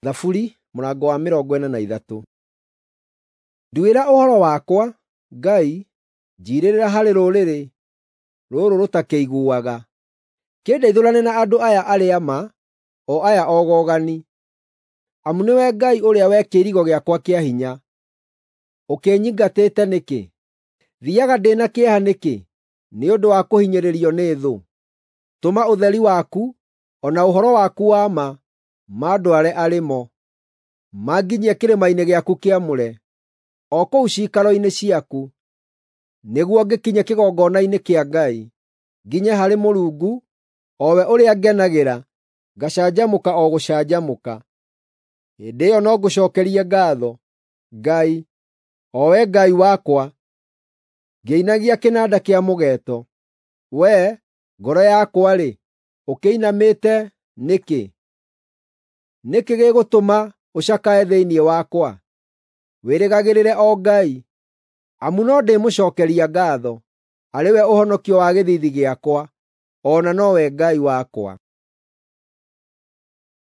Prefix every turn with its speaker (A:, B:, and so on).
A: Thaburi mũrango wa 43. Nduĩra ũhoro wakwa, Ngai, njiirĩrĩra harĩ rũrĩrĩ rũrũ rũtakĩiguaga. Kĩndeithũrane na andũ aya arĩa ma, o aya ogogani. Amu nĩwe Ngai ũrĩa we kĩirigo gĩakwa kĩa hinya. Ũkĩnyingatĩte nĩkĩ? Thiiaga ndĩ na kĩeha nĩkĩ nĩ ũndũ wa kũhinyĩrĩrio nĩ thũ? Tũma ũtheri waku o na ũhoro waku wa ma mandware arĩ mo, manginyie kĩrĩma-inĩ gĩaku kĩamũre, o kũu ciikaro-inĩ ciaku, nĩguo ngĩkinye kĩgongona-inĩ kĩa Ngai, nginye harĩ Mũrungu, o we ũrĩa ngenagĩra, ngacanjamũka o gũcanjamũka. Hĩndĩ ĩyo no ngũcookerie ngaatho, Ngai, o Wee Ngai wakwa, ngĩinagia kĩnanda kĩa mũgeeto. Wee, ngoro yakwa-rĩ, ũkĩinamĩte nĩkĩ? Nĩ kĩĩ gĩgũtũma ũcakae thĩinĩ wakwa? Wĩrĩgagĩrĩre o Ngai, amu no ndĩmũcookeria ngaatho, arĩ we ũhonokio wa gĩthiithi gĩakwa, o na nowe Ngai wakwa.